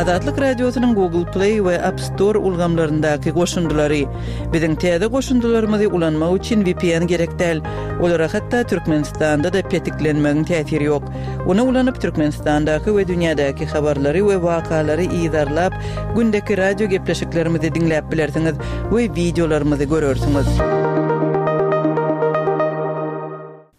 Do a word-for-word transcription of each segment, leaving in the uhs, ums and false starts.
Azatlyk Radiosynyň Google Play we App Store ulgamlaryndaky goşundylary. Biziň täze goşundylarymyzy ulanmak üçin V P N gerek däl. Olara hatda Türkmenistanda-da petiklenmegiň täsiri ýok. Ony ulanyp Türkmenistandaky we dünýädäki habarlary we wakalary yzarlap, gündeki radio gepleşiklerimizi diňläp bilersiňiz we wideolarymyzy görersiňiz.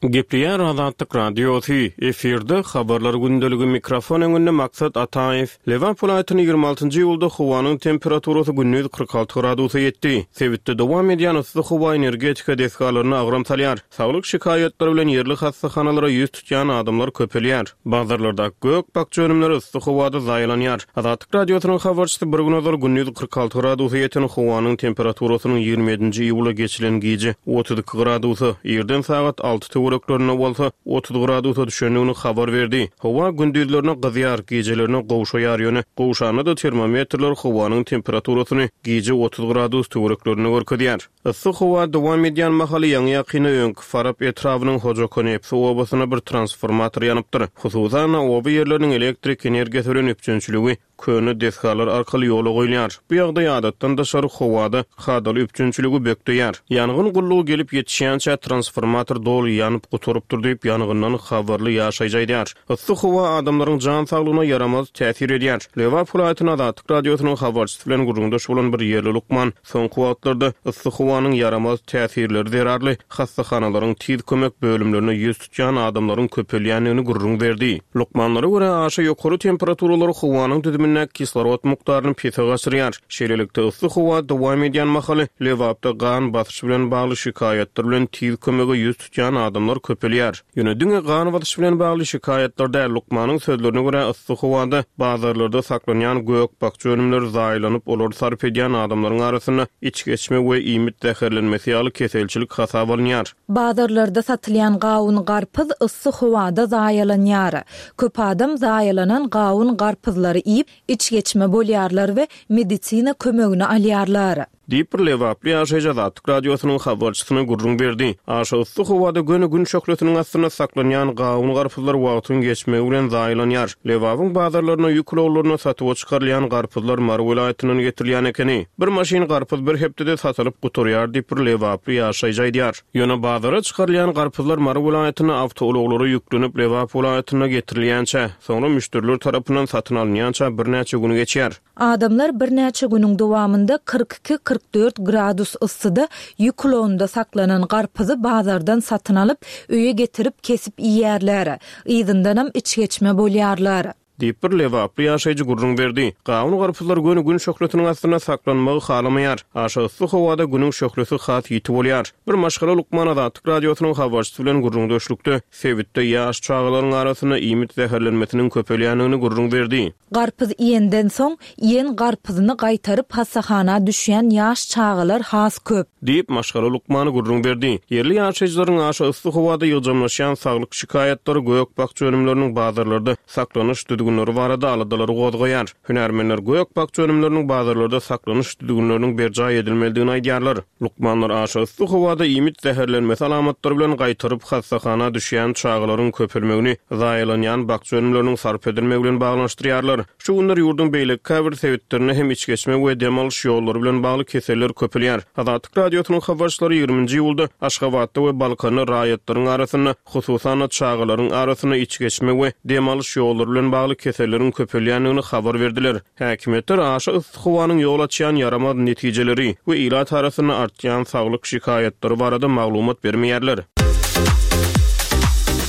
Gepleýär Azatlyk Radiosy, efirde habarlar gündeligi, mikrofon öňünde Maksat Ataýew. Lebap welaýatynyň ýigrimi altynjy iýulda howanyň temperaturasy gündiz kyrk alty gradusa ýetdi. Sebitde dowam edýän yssy howa energetika desgalaryna agram salýar. Saglyk şikaýatlary bilen ýerli hassahanalara ýüz tutýan adamlar köpelýär. Bazarlarda gök-bakja önümleri yssy howada zaýalanýar. Azatlyk Radiosynyň habarçysy bir gün ozal gündiz kyrk alty gradusa ýeten howanyň temperaturasynyň ýigrimi ýedinji iýula geçilen gije otuz iki gradusa, irden sagat alty töwereklerinde bolsa otuz gradusa düşendigini habar berdi. Howa gündizlerine gyzýar, gijelerine gowşaýar, ýöne gowşanda-da termometrler howanyň temperaturasyny gije otuz gradus töwereklerinde görkezýär. Yssy howa dowam edýän mahaly ýaňy-ýakynda öňki Farap etrabynyň Hojakonepsi obasyna bir transformator ýanypdyr. Hususan, oba ýerleriniň elektrik energiýasy bilen üpjünçiligi köne desgalar arkaly ýola goýulýar. Bu ýagdaý adatdan daşary howada kadaly üpjünçiligi bökdeýär. Ýangyn gullugy gelip ýetişýänçä transformator doly ýanyp gutarypdyr diýip, ýangyndan habarly ýaşaýjy aýdýar. Yssy howa adamlaryň jan saglygyna ýaramaz täsir edýär. Lebap welaýatynyň Azatlyk Radiosynyň habarçysy bilen gürrüňdeş bolan bir ýerli lukman soňky wagtlarda yssy howanyň ýaramaz täsirleri zerarly hassahanalaryň tiz kömek bölümlerine ýüz tutýan adamlaryň köpelýändigini gürrüň berdi. Lukmanlara görä, aşa ýokary temperaturalar howanyň düzümindäki kislorod mukdaryny pese gaçyrýar. Şeýlelikde, yssy howa dowam edýän mahaly Lebapda gan basyşy bilen bagly şikaýatlar bilen tiz kömege ýüz tutýan adamlar köpelýär. Ýöne diňe gan basyşy bilen bagly şikaýatlar däl, lukmanyň sözlerine görä, yssy howada bazarlarda saklanýan gök-bakja önümleri zaýalanyp, olary sarp edýän adamlaryň arasynda içgeçme we iýmit zäherlenmesi ýaly keselçilik hasap alynýar. Bazarlarda satylýan gawun garpyz yssy howada zaýalanýar. Köp adam zaýalanan gawun garpyzlary iýip, içgeçme bolýarlar we medisina kömegini alýarlar. Diýip bir Lebaply ýaşaýjy Azatlyk Radiosynyň habarçysyna gürrüň berdi. Aşa yssy howada göni gün şöhlesiniň astynda saklanýan gawun garpyzlar wagtyň geçmegi bilen zaýalanýar. Lebabyň bazarlaryna ýük ulaglaryna satuwa çykarylýan garpyzlar Mary welaýatyndan getirilýän ekeni. Bir maşyn garpyz bir hepdede satylyp gutarýar diýip bir Lebaply ýaşaýjy aýdýar. Ýöne bazara çykarylýan garpyzlar Mary welaýatyna awtoulaglara ýüklenip Lebap welaýatyna getirilýänçä, soňra müşderiler tarapyndan satyn alynýança birnäçe gün geçýär. Adamlar birnäçe günüň dowamynda kyrk iki kyrk dört gradus yssyda ýük ulagynda saklanan garpyzy bazardan satyn alyp, öýe getirip kesip iýerler. Yzyndanam içgeçme bolýarlar. Diýip bir Lebaply ýaşaýjy gürrüň berdi. Gawun garpyzlar göni gün şöhlesiniň astynda saklanmagy halamaýar. Aşa yssy howada günüň şöhlesi has ýiti bolýar. Bir maşgala lukman Azatlyk Radiosynyň habarçysy bilen gürrüňdeşlikde sebitde ýaş çagalaryň arasynda iýmit zäherlenmesiniň köpelýändigini gürrüň berdi. Garpyz iýenden soň, iýen garpyzyny gaýtaryp hassahana düşýän ýaş çagalar has köp. Diýip maşgala lukmany gürrüň berdi. Ýerli ýaşaýjylaryň aşa yssy howada ýygjamlaşýan saglyk şikaýatlary gök-bakja önümleriniň bazarlarda saklanyş düzgünleri barada aladalary gozgaýar. Hünärmenler gök-bakja önümleriniň bazarlarda saklanyş düzgünleriniň berjaý edilmelidigini aýdýarlar. Lukmanlar aşa yssy howada iýmit zäherlenmesi alamatlary bilen gaýtaryp hassahana düşýän çagalaryň köpelmegini zaýalanýan bakja önümleriniň sarp edilmegi bilen baglanyşdyrýarlar. Şu günler ýurduň beýleki käbir sebitlerinde hem içgeçme we dem alyş ýollary bilen bagly keseller köpelýär. Azatlyk Radiosynyň habarçylary ýigriminji iýulda Aşgabatda we Balkanda raýatlaryň arasynda, hususan çagalaryň arasynda içgeçme we dem alyş ýollary bilen bagly keselleriň köpelýändigini habar berdiler. Häkimiýetler aşa yssy howanyň ýol açýan ýaramaz netijeleri we ilat arasynda artýan saglyk şikaýatlary barada maglumat bermeýärler.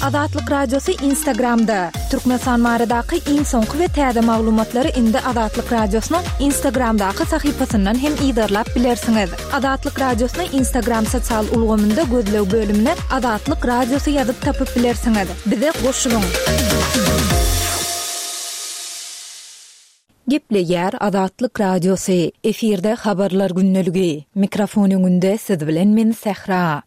Azatlyk Radiosy Instagramda. Türkmenistan baradaky iň soňky we täze maglumatlary indi Azatlyk Radiosynyň Instagramdaky sahypasyndan hem yzarlap bilersiňiz. Azatlyk Radiosyny Instagram sosial ulgamynda gözleg bölümine Azatlyk Radiosy ýazyp tapyp bilersiňiz. Bize goşulyň. Gepleýär Azatlyk Radiosy. Efirde habarlar gündeligi. Mikrofon öňünde siz bilen men Sähra.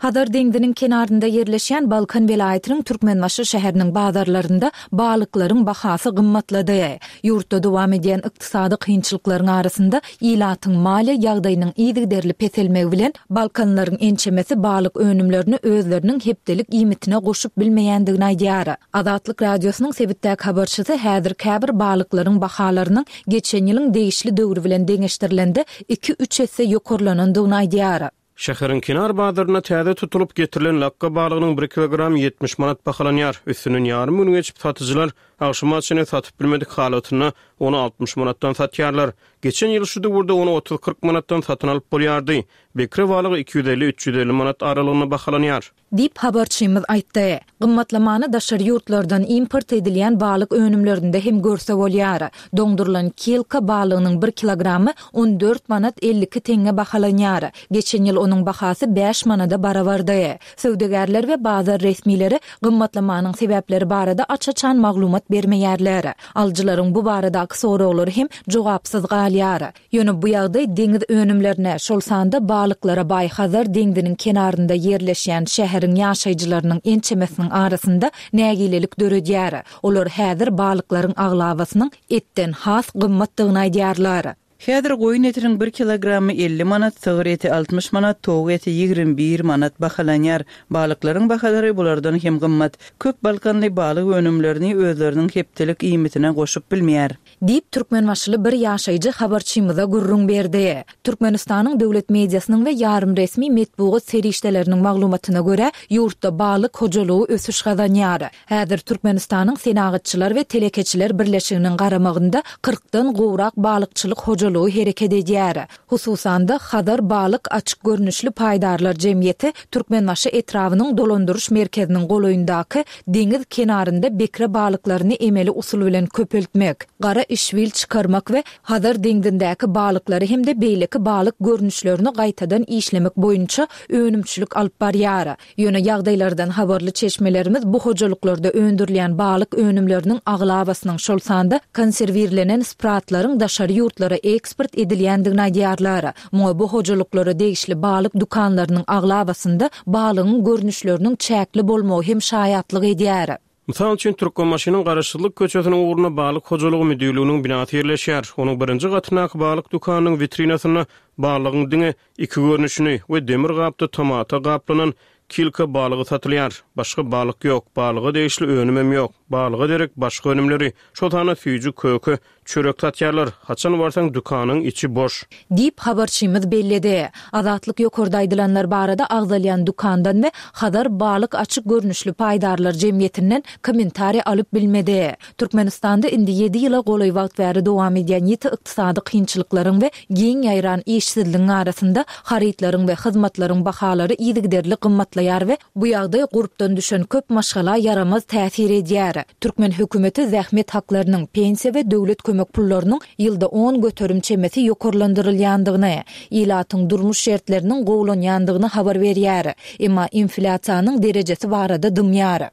Hazar deňziniň kenarynda ýerleşýän Balkan welaýatynyň Türkmenbaşy şäheriniň bazarlarynda balyklaryň bahasy gymmatlady. Ýurtda dowam edýän ykdysady kynçylyklaryň arasynda ilatyň maliýe ýagdaýynyň yzygiderli peselmegi bilen balkanlaryň ençemesi balyk önümlerini özleriniň hepdelik iýmitine goşup bilmeýändigini aýdýar. Azatlyk Radiosynyň sebitdäki habarçysy häzir käbir balyklaryň bahalarynyň geçen ýylyň degişli döwri bilen deňeşdirilende iki-üç esse ýokarlanandygyny aýdýar. Şäheriň kenar bazarynda täze tutulyp getirilen lakga balygynyň bir kilogram ýetmiş manat bahalanýar. Üstünden ýarym gün geçip satyjylar agşama çenli satyp bilmedik halatynda ony altmyş manatdan satýarlar. Geçen ýyl şu döwürde ony otuz-kyrk manatdan satyn alyp bolýardy. Bekre balygy iki ýüz elli-üç ýüz elli manat aralygynda bahalanýar. Diýip habarçymyz aýtdy. Gymmatlamany daşary ýurtlardan import edilýän balyk önümlerinde hem görse bolýar. Doňdurylan kilka balygynyň bir kilogramy on dört manat elli iki teňňe bahalanýar. Geçen ýyl onuň bahasy bäş manada barabardy. Söwdagärler we bazar resmileri gymmatlamanyň sebäpleri barada aç-açan maglumat bermeýärler. Alyjylaryň bu baradaky soraglary hem jogapsyz galýar. Ýöne bu ýagdaý deňiz önümlerine, şol sanda balyklara baý Hazar deňziniň kenarynda ýerleşýän şäheriň ýaşaýjylarynyň ençemesiniň arasynda nägilelik döredýär. Olar häzir balyklaryň aglabasynyň etden has gymmatdygyny aýdýarlar. Häzir goýun etiniň bir kilogramy elli manat, sygyr eti altmyş manat, towuk eti ýigrimi bir manat bahalanýar. Balyklaryň bahalary bulardan hem gymmat. Köp balkanly balyk önümlerini özleriniň hepdelik iýmitine goşup bilmeýär. Diýip, Türkmenbaşyly bir ýaşaýjy habarçymyza gürrüň berdi. Türkmenistanyň döwlet mediasynyň we ýarym resmi metbugat serişdeleriniň maglumatyna görä, ýurtda balyk hojalygy ösüş gazanýar. Häzir Türkmenistanyň Senagatçylar we Telekeçiler birleşiginiň garamagynda kyrkdan gowrak balykçylyk hojalygy hereket edýär. Hususan-da, Hazar balyk açyk görnüşli paýdarlar jemgyýeti Türkmenbaşy etrabynyň dolandyryş merkeziniň golaýyndaky deňiz kenarynda bekre balyklaryny emeli usul bilen köpeltmek, gara işbil çykarmak we Hazar deňzindäki balyklary hem-de beýleki balyk görnüşlerini gaýtadan işlemek boýunça önümçilik alyp barýar. Ýöne ýagdaýlardan habarly çeşmelerimiz bu hojalyklarda öndürilýän balyk önümleriniň aglabasynyň, şol sanda konserwirlenen spratlaryň daşary ýurtlara eksport edilýändigini aýdýarlar. Muňa bu hojalyklara degişli balyk dükanlarynyň aglabasynda balygyň görnüşleriniň çäkli bolmagy hem şaýatlyk edýär. Mysal üçin, Türkmenbaşynyň Garaşsyzlyk köçesiniň ugrunda balyk hojalygy müdirliginiň binasy ýerleşýär. Onuň birinji gatyndaky balyk dükanynyň witrinasynda balygyň diňe iki görnüşini we demir gapda tomata gaplanan kilka balygy satylýar. Başga balyk ýok, balyga degişli önümem ýok. Balyga derek başga önümleri, şol sanda süýji, köke, çörek satýarlar. Haçan barsaň dükanyň içi boş. Diýip habarçymyz belledi. Azatlyk ýokarda aýdylanlar barada agzalýan dükandan we Hazar balyk açyk görnüşli paýdarlar jemgyýetinden kommentariý alyp bilmedi. Türkmenistanda indi ýedi ýyla golaý wagt bäri dowam edýän ýiti ykdysady kynçylyklaryň we giň ýaýran işsizligiň arasynda harytlaryň we hyzmatlaryň bahalary yzygiderli gymmatlaýar we bu ýagdaý gurpdan düşen köp maşgala ýaramaz täsir edýär. Türkmen hökümeti zähmet haklarynyň, pensiýa we döwlet kömek pullarynyň ýylda on göterim çemesi ýokarlandyrylýandygyny, ilatyň durmuş şertleriniň gowulanýandygyny habar berýär. Emma inflýasiýanyň derejesi barada dymýar.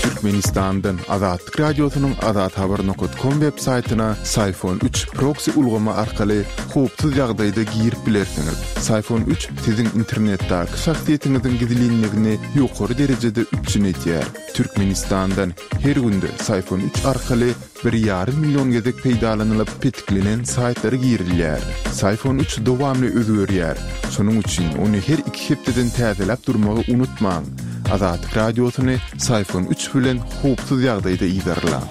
Türkmenistandan Azatlyk Radiosynyň azathabar nokta com web saýtyna Syfon üç proxy ulgamy arkaly howpsuz ýagdaýda girip bilersiňiz. Syfon üç siziň internetdäki şahsyýetiňiziň gizlinligini ýokary derejede üpjün edýär. Türkmenistandan her günde Syfon üç arkaly bir ýarym million gezek peýdalanylyp petiklenen saýtlara girilýär. Syfon üç dowamly özgerýär. Şonuň üçin ony her iki hepdeden täzeläp durmagy unutmaň. Azatlyk Radiosyny Syfon üç bilen howpsuz ýagdaýda yzarlaň.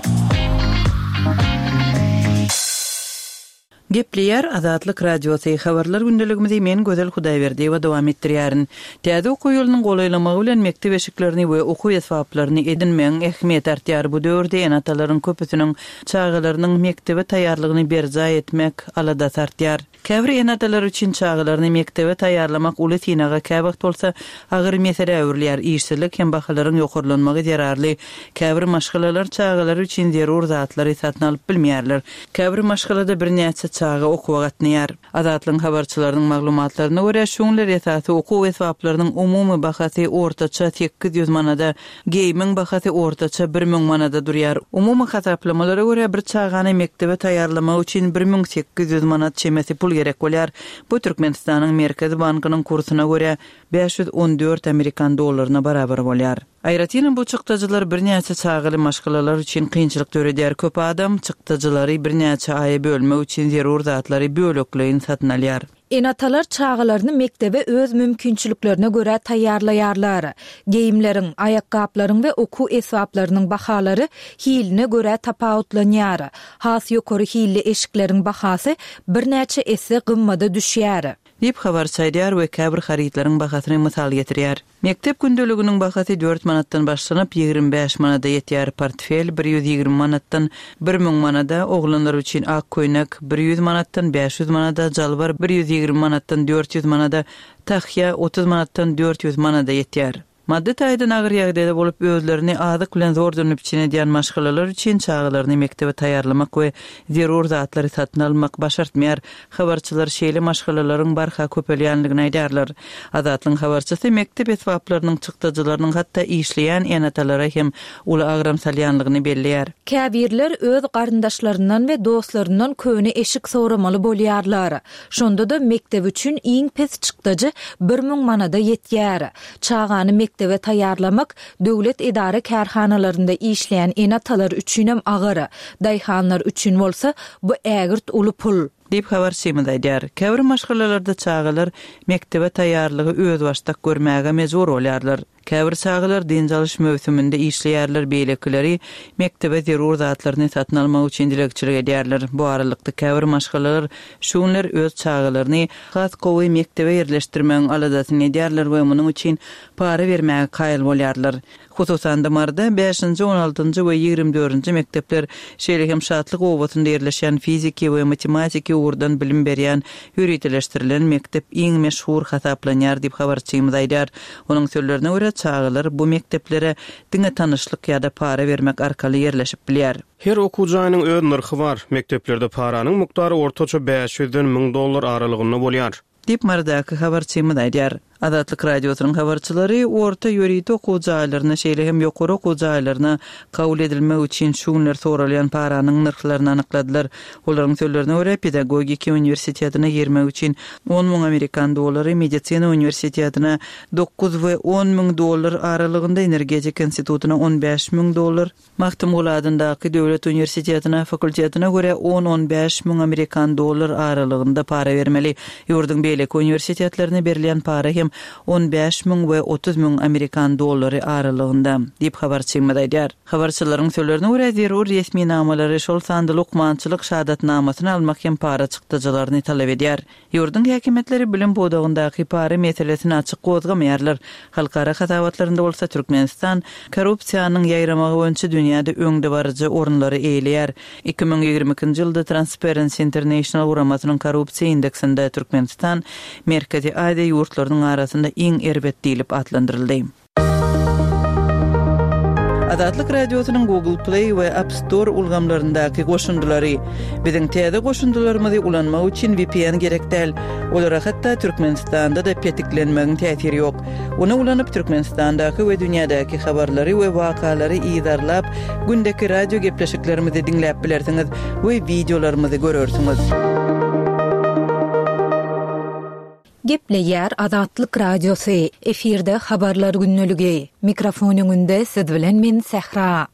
Gepleýär Azatlyk Radiosy. Habarlar gündeligimizi men Gözel Hudaýberdiýewa dowam etdirýärin. Täze okuw ýylynyň golaýlamagy bilen mekdep eşiklerini we okuw esbaplaryny edinmegiň ähmiýeti artýar. Bu döwürde ene-atalaryň köpüsiniň çagalarynyň mekdebe taýýarlygyny berjaý etmek aladasy artýar. Käbir ene-atalar üçin çagalaryny mekdebe taýýarlamak uly synaga, käwagt bolsa agyr meselä öwrülýär. Işsizlik hem bahalaryň ýokarlanmagy zerarly käbir maşgalalar çagalary üçin zerur zatlary satyn alyp bilmeýärler. Käbir maşgalada birnäçe çaga okuwa gatnaýar. Azatlygyň habarçylarynyň maglumatlaryna görä, şu günler esasy okuw esbaplarynyň umumy bahasy ortaça sekiz ýüz manada, geýimiň bahasy ortaça bir müň manada durýar. Umumy hasaplamalara görä, bir çagany mekdebe taýýarlamak üçin bir müň sekiz ýüz manat çemesi pul gerek bolýar. Bu Türkmenistanyň Merkezi bankynyň kursuna görä bäş ýüz on dört amerikan dollaryna barabar bolýar. Aýratynam bu çykdajylar birnäçe çagaly maşgalalar üçin kynçylyk döredýär. Köp adam çykdajylary birnäçe aýa bölmek üçin zerur zatlary bölekleýin satyn alýar. Ene-atalar çagalaryny mekdebe öz mümkinçiliklerine görä taýýarlaýarlar. Geýimleriň, aýakgaplaryň we okuw esbaplarynyň bahalary hiline görä tapawutlanýar. Has ýokary hilli eşikleriň bahasy birnäçe esse gymmada düşýär. Diýip habarçy aýdýar we käbir harytlaryň bahasyny mysal getirýär. Mekdep gündeliginiň bahasy dört manatdan başlanyp ýigrimi bäş manada ýetýär. Portfel bir ýüz ýigrimi manatdan bir müň manada, oglanlar üçin ak köýnek bir ýüz manatdan bäş ýüz manada, jalbar bir ýüz ýigrimi manatdan dört ýüz manada, tahýa otuz manatdan dört ýüz manada ýetýär. Maddy taýdan agyr ýagdaýda bolup özlerini azyk bilen zordan üpjün edýän maşgalalar üçin çagalaryny mekdebe taýýarlamak we zerur zatlary satyn almak başartmaýar. Habarçylar şeýle maşgalalaryň barha köpelýänligini aýdarlar. Azatlygyň habarçysy mekdep esbaplarynyň çykdajylarynyň hatda işleýän ene-atalara hem uly agram salýanlygyny belleýär. Käbirler öz garyndaşlaryndan we dostlaryndan köne eşik soramaly bolýarlar. Şonda da mekdep üçin iň pes çykdajy bir müň manada ýetýär. Çagany mekdebe taýýarlamak döwlet edara kärhanalarynda işleýän ene-atalar üçinem agyr, daýhanlar üçin bolsa bu ägirt uly pul. Diýip habarçymyz aýdýar. Käbir maşgalalarda çagalar mekdebe taýýarlygy özbaşdak görmäge mejbur bolýarlar. Käbir çagalar dynç alyş möwsüminde işleýärler, beýlekileri mekdebe zerur zatlaryny satyn almak üçin dilegçilik edýärler. Bu aralykda käbir maşgalalar şu günler öz çagalaryny has gowy mekdebe ýerleşdirmegiň aladasyny edýärler we munuň üçin para bermäge kaýyl bolýarlar. Hususan-da Maryda bäşinji, on altynjy we ýigrimi dördünji mekdepler, şeýle hem Şatlyk obasynda ýerleşen fiziki we matematiki ugurdan bilim berýän ýöriteleşdirilen mekdep iň meşhur hasaplanýar diýip habarçymyz aýdýar. Onuň sözlerine görä çagalar bu mekdeplere diňe tanyşlyk ýa-da para bermek arkaly ýerleşip bilýär. Her okuw jaýynyň öz nyrhy bar. Mekdeplerde paranyň mukdary ortaça bäş ýüzden müň dollar aralygynda bolýar. Diýip Marydaky habarçymyz aýdýar. Azatlyk radiosynyň habarçylary orta ýörite okuw jaýlaryna, şeýle hem ýokary okuw jaýlaryna kabul edilmek üçin şu günler soralýan paranyň nyrhlaryny anykladylar. Olaryň sözlerine görä pedagogiki uniwersitetine girmek üçin on müň amerikan dollary, medisina uniwersitetine dokuz we on müň dollar aralygynda, energetika institutyna on bäş müň dollar, Magtymguly adyndaky döwlet uniwersitetine fakultetine görä on-on bäş müň amerikan dollar aralygynda para bermeli. Ýurduň beýleki uniwersitetlerine berilýän para hem on bäş müň we otuz müň amerikan dollary aralygynda, diýip habarçymyz aýdýar. Habarçylaryň sözlerine görä zerur resminamalary, şol sanda lukmançylyk şahadatnamasyny almak hem para çykdajylaryny talap edýär. Ýurduň häkimiýetleri bilim pudagyndaky para meselesini açyk gozgamaýarlar. Halkara hasabatlarynda bolsa Türkmenistan korrupsiýanyň ýaýramagy boýunça dünýäde öňdebaryjy orunlary eýeleýär. Iki müň ýigrimi ikinji ýylda Transparency International guramasynyň korrupsiýa indeksinde Türkmenistan Merkezi Aziýa ýurtlarynyň arasynda iň erbet diýlip atlandyryldy. Azatlyk Radiosynyň Google Play we App Store ulgamlaryndaky goşundylary. Biziň täze goşundylarymyzy ulanmak üçin V P N gerek däl. Olara hatda Türkmenistanda da petiklenmegiň täsiri ýok. Ony ulanyp Türkmenistandaky we dünýädäki habarlary we wakalary yzarlap, gündeki radio gepleşiklerimizi diňläp bilersiňiz we videolarymyzy görersiňiz. Gepleýär Azatlyk Radiosy. Efirde habarlar günlügi. Mikrofon öňünde siz bilen men Sähra.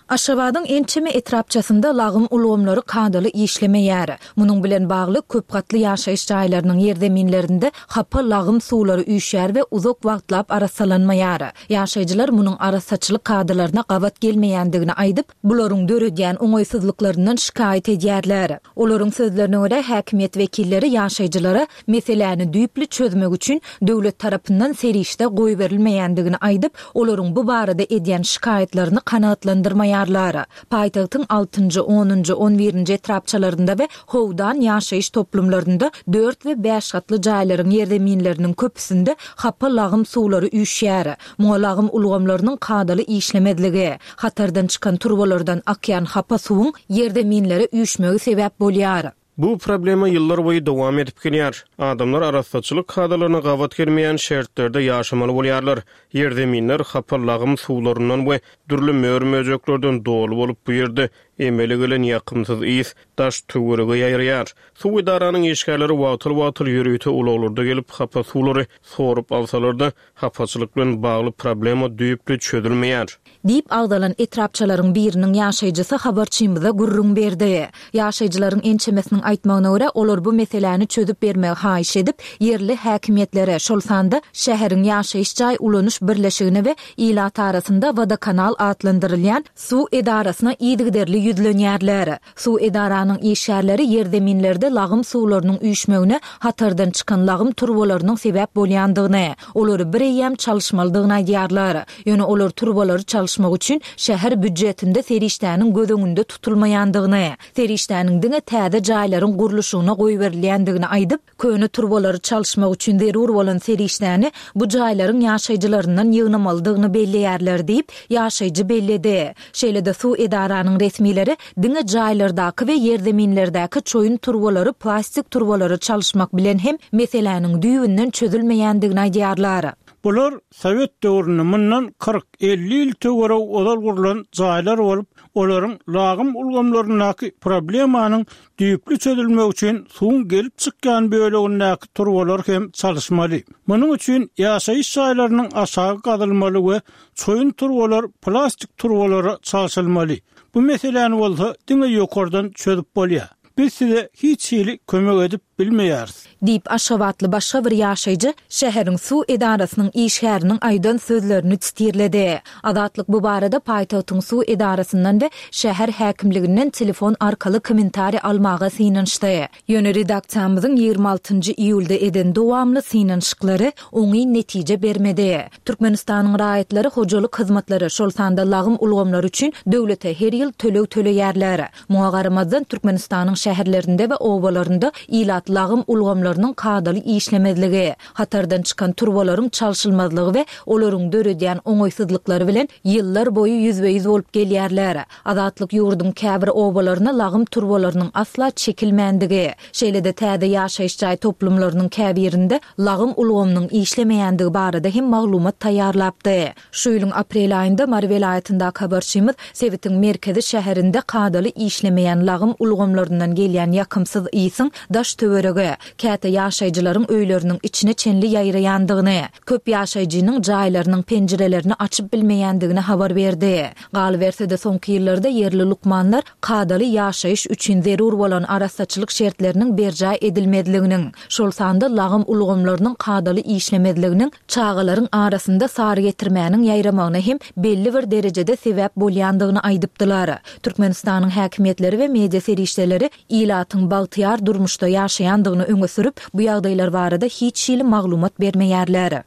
Aşgabadyň ençeme etrapçasynda lagym ulgamlary kadaly işlemeýär. Munuň bilen bagly köp gatly ýaşaýyş jaýlarynyň ýerzeminlerinde hapa lagym suwlary üýşýär we uzak wagtlap arassalanmaýar. Ýaşaýjylar munuň arassaçylyk kadalaryna gabat gelmeýändigini aýdyp, bularyň döredýän oňaýsyzlyklaryndan şikaýat edýärler. Olaryň sözlerine görä häkimiýet wekilleri ýaşaýjylara meseläni düýpli çözmek üçin döwlet tarapyndan serişde goýberilmeýändigini aýdyp, olaryň bu barada edýän şikaýatlaryny kanagatlandyrmaýarlar. Paýtagtyň altynjy, onunjy, on birinji etrapçalarynda we Howdan ýaşaýyş toplumlarynda dört we bäş gatly jaýlaryň ýerzeminleriniň köpüsinde hapa lagym suwlary üýşýär. Muňa lagym ulgamlarynyň kadaly işlemezligi, hatardan çykan turbalardan akýan hapa suwuň ýerzeminlere üýşmegi sebäp bolýar. Bu problema ýyllar boýy dowam edip gelýär. Adamlar arassaçylyk kadalaryna gabat gelmeýän şertlerde ýaşamaly bolýarlar. Ýerzeminler hapa lagym suwlaryndan we dürli mör-möjeklerden doly bolup, bu ýerde emele gelen ýakymsyz ys daş töwerege ýaýraýar. Suw edaranyň işgärleri wagtal-wagtal ýörite ulaglarda gelip hapa suwlary sorup alsalar-da, hapaçylyk bilen bagly problema düýpli çözülmeýär. Diýip agzalan etrapçalaryň biriniň ýaşaýjysy habarçymyza gürrüň berdi. Ýaşaýjylaryň ençemesiniň aýtmagyna görä, olar bu meseläni çözüp bermegi haýyş edip, ýerli häkimiýetlere, şol sanda şäheriň ýaşaýyş jaý ulanyş birleşigine we ilat arasynda Wodokanal atlandyrylýan suw edarasyna yzygiderli ýüzlenýärler. Suw edaranyň işgärleri ýerzeminlerde lagym suwlarynyň üýşmegine hatardan çykan lagym turbalarynyň sebäp bolýandygyny, olary bireýýäm çalyşmalydygyny aýdýarlar. Ýöne olar turbalary çalyşmak üçin şäher býudjetinde serişdäniň göz öňünde tutulmaýandygyny, serişdäniň diňe täze jaýlaryň gurluşygyna goýberilýändigini aýdyp, köne turbalary çalyşmak üçin zerur bolan serişdäni bu jaýlaryň ýaşaýjylaryndan ýygnamalydygyny belleýärler diýip, ýaşaýjy belledi. Şeýle-de suw edaranyň resmileri diňe jaýlardaky we ýerzeminlerdäki çoýun turbalary plastik turbalara çalyşmak bilen hem meseläniň düýbünden çözülmeýändigini aýdýarlar. Bular sowet döwründe mundan kyrk elli ýyl töweregi ozal gurlan jaýlar bolup, olaryň lagym ulgamlaryndaky problemanyň düýpli çözülmegi üçin suwuň gelip çykýan bölegindäki turbalar hem çalyşmaly. Munuň üçin ýaşaýyş jaýlarynyň aşagy gazylmaly we çoýun turbalar plastik turbalara çalşylmaly. Bu meseläni bolsa diňe ýokardan çözüp bolýar. Biz size hiç hili kömek edip bilmeýäris. Diýip, aşgabatly başga bir ýaşaýjy şäheriň suw edarasynyň işgäriniň aýdan sözlerini titirledi. Azatlyk bu barada paýtagtyň suw edarasyndan we şäher häkimliginden telefon arkaly kommentariý almaga synanyşdy. Ýöne redaksiýamyzyň ýigrimi altynjy iýulda eden dowamly synanyşyklary oňyn netije bermedi. Türkmenistanyň raýatlary hojalyk hyzmatlary, şol sanda lagym ulgamlary üçin döwlete her ýyl töleg töleýärler. Muňa garamazdan, Türkmenistanyň şäherlerinde we obalarynda ilat lagym ulgamlarynyň kadaly işlemezligi, hatardan çykan turbalaryň çalşylmazlygy we olaryň döredýän oňaýsyzlyklary bilen ýyllar boýy ýüzbe-ýüz bolup gelýärler. Azatlyk ýurduň käbir obalaryna lagym turbalarynyň asla çekilmändigi, şeýle-de täze ýaşaýyş jaý toplumlarynyň käbirinde lagym ulgamynyň işlemeýändigi barada hem maglumat taýýarlapdy. Şu ýylyň aprel aýynda Mary welaýatyndaky habarçymyz sebitiň merkezi şäherinde kadaly işlemeýän lagym ulgamlaryndan gelýän ýakymsyz ysyň daş-töwerege, käte ýaşaýjylaryň öýleriniň içine çenli ýaýraýandygyny, köp ýaşaýjynyň jaýlarynyň penjirelerini açyp bilmeýändigini habar berdi. Galyberse-de, soňky ýyllarda ýerli lukmanlar kadaly ýaşaýyş üçin zerur bolan arassaçylyk şertleriniň berjaý edilmezliginiň, şol sanda lagym ulgamlarynyň kadaly işlemezliginiň çagalaryň arasynda sarygetirmäniň ýaýramagyna hem belli bir derejede sebäp bolýandygyny aýdypdylar. Türkmenistanyň häkimiýetleri we media serişdeleri ilatyň bagtyýar durmuşda ýaşaýandygyny öňe sürüp, bu ýagdaýlar barada hiç hili maglumat bermeýärler.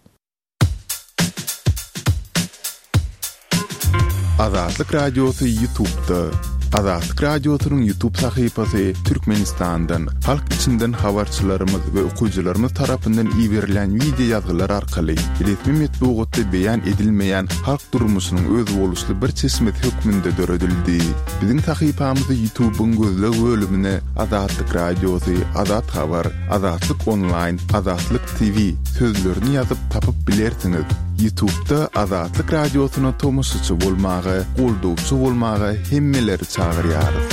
Azatlyk Radiosy YouTube'da. Azatlyk Radiosynyň YouTube sahypasy Türkmenistandan, halk içinden habarçylarymyz we okyjylarymyz tarapyndan iberilen wideo ýazgylar arkaly resmi metbugatda beýan edilmeýän halk durmuşynyň özboluşly bir çeşmesi hökmünde döredildi. Biziň sahypamyzy YouTube'yň gözleg bölümine Azatlyk Radiosy, Azat Habar, Azatlyk Online, Azatlyk T V sözlerini ýazyp tapyp bilersiňiz. YouTube'da Azatlyk Radiosyna tomaşaçy bolmaga, goldawçy bolmaga hemmeleri çagyrýarys.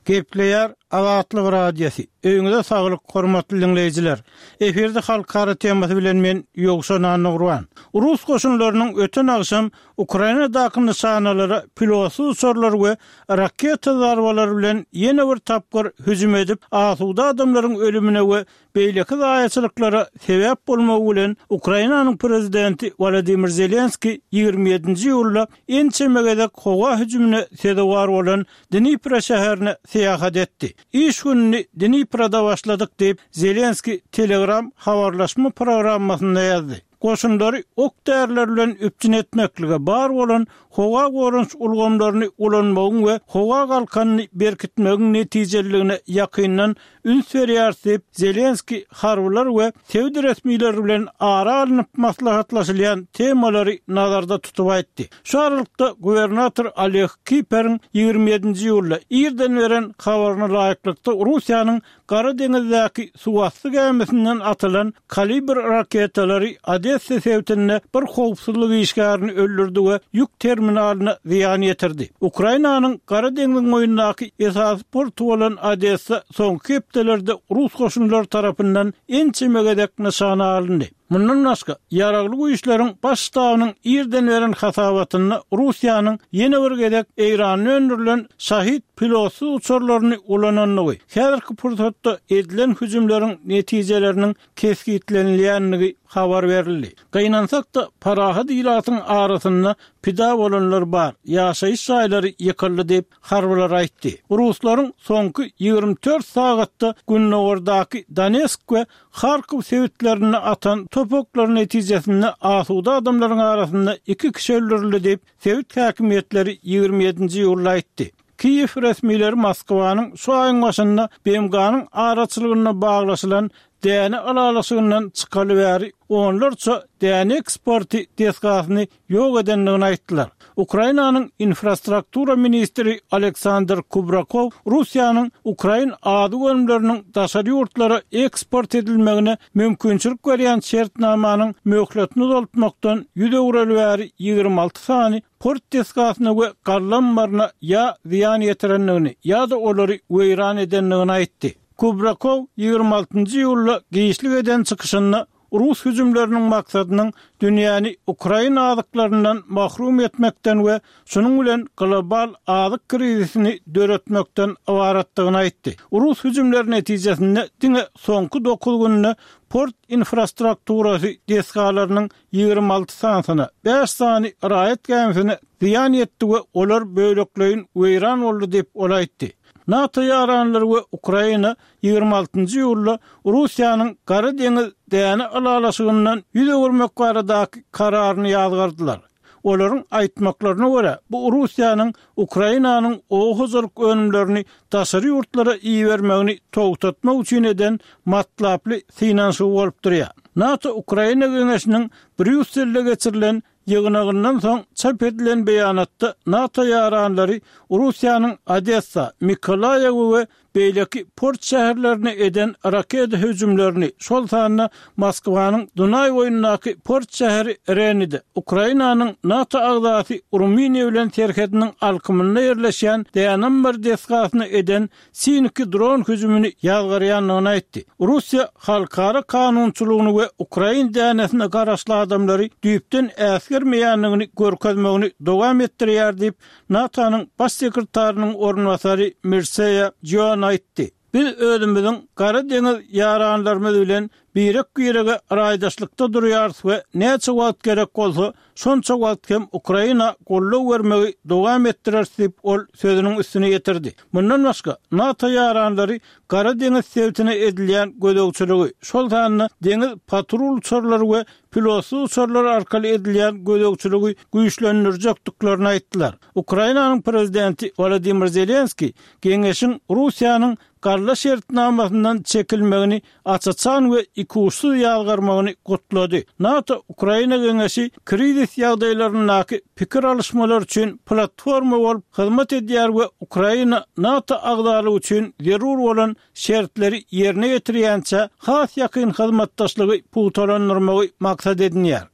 Gepleýär Azatlyk Radiosy. Öýüňize saglyk, hormatly diňleýjiler. Efirde halkara temasy bilen men Ýowşan Annagurban. Rus goşunlarynyň öten agşam Ukrainadaky nyşanalara pilotsyz uçarlar we raketa zarbalary bilen ýene bir tapgyr hüjüm edip, asuda adamlaryň ölümine we beýleki zaýaçylyklara sebäp bolmagy bilen Ukrainanyň prezidenti Wolodymyr Zelenskiý ýigrimi ýedinji iýulda ençeme gezek howa hüjümine sezewar bolan Dnipro şäherine syýahat etdi. Iş gününi Dniproda başladyk diýip, Zelenskiý Telegram habarlaşma programmasynda ýazdy. Goşunlary ok-däriler bilen üpjün etmeklige, bar bolan howa goranyş ulgamlaryny ulanmagyň we howa galkanyny berkitmegiň netijeliligine ýakyndan üns berýäris diýip, Zelenskiý harbylar we sebit resmileri bilen ara alnyp maslahatlaşylýan temalary nazarda tutup aýtdy. Şu aralykda, gubernator Oleg Kiperiň ýigrimi ýedinji iýulda irden beren habaryna laýyklykda, Russiýanyň Gara deňizdäki suwasty gämisinden atylan Kalibr raketalary Odessa sebitinde bir howpsuzlyk işgärini öldürdi we ýük terminalyna zyýan ýetirdi. Ukrainanyň Gara deňziň boýundaky esasy porty bolan Odessa soňky hepdelerde rus goşunlary tarapyndan ençeme gezek nyşana alyndy. Mundan başga, Ýaragly Güýçleriň Baş ştabynyň irden beren hasabatynda Russiýanyň ýene bir gezek Eýranda öndürilen Şahid pilotsyz uçarlaryny ulanandygy, häzirki pursatda edilen hüjümleriň netijeleriniň kesgitlenilýändigi habar berildi. Gynansak-da, parahat ilatyň arasynda pida bolanlar bar, ýaşaýyş jaýlary ýykyldy diýip, harbylar aýtdy. Ruslaryň soňky ýigrimi dört sagatda gündogardaky Donesk we Harkow sebitlerinde atan top oklary netijesinde asuda adamlaryň arasynda iki kişi öldürildi diýip, sebit häkimiýetleri ýigrimi ýedinji iýulda aýtdy. Kiýew resmileri Moskwanyň şu aýyň başynda BMG-niň araçylygynda baglaşylan däne ylalaşygyndan çykaly bäri onlarça däne eksporty desgasyny ýok edendigini aýtdylar. Ukrainanyň infrastruktura ministri Oleksandr Kubrakow Russiýanyň ukrain azyk önümleriniň daşary ýurtlara eksport edilmegine mümkinçilik berýän şertnamanyň möhletini uzaltmakdan ýüz öwreli bäri ýigrimi alty sany port desgasyna we galla ammaryna ýa zyýan ýetirendigini ýa-da olary weýran edendigini aýtdy. Kubrakow ýigrimi altynjy iýulda giçlik eden çykyşynda rus hüjümleriniň maksadynyň dünýäni ukrain azyklaryndan mahrum etmekden we şunuň bilen global azyk krizisini döretmekden ybaratdygyny aýtdy. Rus hüjümleri netijesinde diňe soňky dokuz günde port infrastrukturasy desgalarynyň ýigrimi alty sanysyna, bäş sany raýat gämisine zyýan ýetdi we olar bölekleýin weýran boldy diýip, ol aýtdy. NATO ýaranlary we Ukraina ýigrimi altynjy iýulda Russiýanyň Gara deňiz däne ylalaşygyndan ýüz öwürmek baradaky kararyny ýazgardylar. Olaryň aýtmaklaryna görä, bu Russiýanyň Ukrainanyň oba hojalyk önümlerini daşary ýurtlara ibermegini togtatmak üçin eden matlaply synanyşygy bolup durýar. NATO-Ukraina geňeşiniň Brýusselde geçirilen Ýygnagyndan soň çap edilen beýanatda NATO ýaranlary Russiýanyň Odessa, Mykolaýew we beýleki port şäherlerine eden raketa hüjümlerini, şol sanda Moskwanyň Dunaý boýundaky port şäheri Renide, Ukrainanyň NATO agzasy Rumyniýa bilen serhediniň alkymynda ýerleşýän däne-ammar desgasyna eden Siniki dron hüjümini ýazgarýandygyny aýtdy. Russiýa halkara kanunçylygyny we ukrain dänesine garaşly adamlary düýpden äsgermeýändigini görkezmegini dowam etdirýär diýip, NATO-nyň Baş sekretarynyň orunbasary Mirseýa Joan aýtdy. Biz özümiziň Gara deňiz ýaranlarymyz bilen birek-birege raýdaşlykda durýarys we näçe wagt gerek bolsa, şonça wagt hem Ukraina goldaw bermegi dowam etdireris diýip, ol sözüniň üstüni ýetirdi. Mundan başga, NATO ýaranlary Gara deňiz sebitine edilýän gözegçiligi, şol sanda deňiz patrul uçarlary we pilotsyz uçarlar arkaly edilýän gözegçiligi güýçlendirjekdiklerini aýtdylar. Ukrainanyň prezidenti Wolodymyr Zelenskiý Geňeşiň Russiýanyň Galla şertnamasyndan çekilmegini aç-açan we ikuçsuz ýazgarmagyny gutlady. NATO-Ukraina Geňeşi krizis ýagdaýlaryndaky pikir alyşmalar üçin platforma bolup hyzmat edýär we Ukraina NATO agzalygy üçin zerur bolan şertleri ýerine ýetirýänçä has ýakyn hyzmatdaşlygy pugtalandyrmagy maksat edinýär.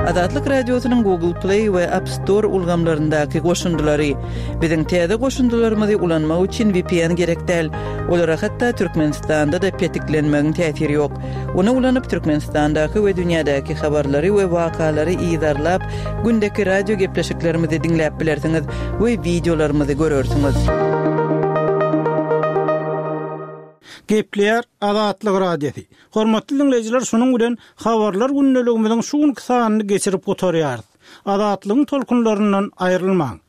Azatlyk Radiosynyň Google Play we App Store ulgamlaryndaky goşundylary. Biziň täze goşundylarymyzy ulanmak üçin V P N gerek däl. Olara hatda Türkmenistanda-da petiklenmegiň täsiri ýok. Ony ulanyp Türkmenistandaky we dünýädäki habarlary we wakalary yzarlap, gündeki radio gepleşiklerimizi diňläp bilersiňiz we wideolarymyzy görersiňiz. Gepleýär Azatlyk Radiosy. Hormatly diňleýjiler, şunuň bilen habarlar gündeligimiziň şu günki sanyny geçirip gutarýarys. Azatlygyň tolkunlaryndan aýrylmaň.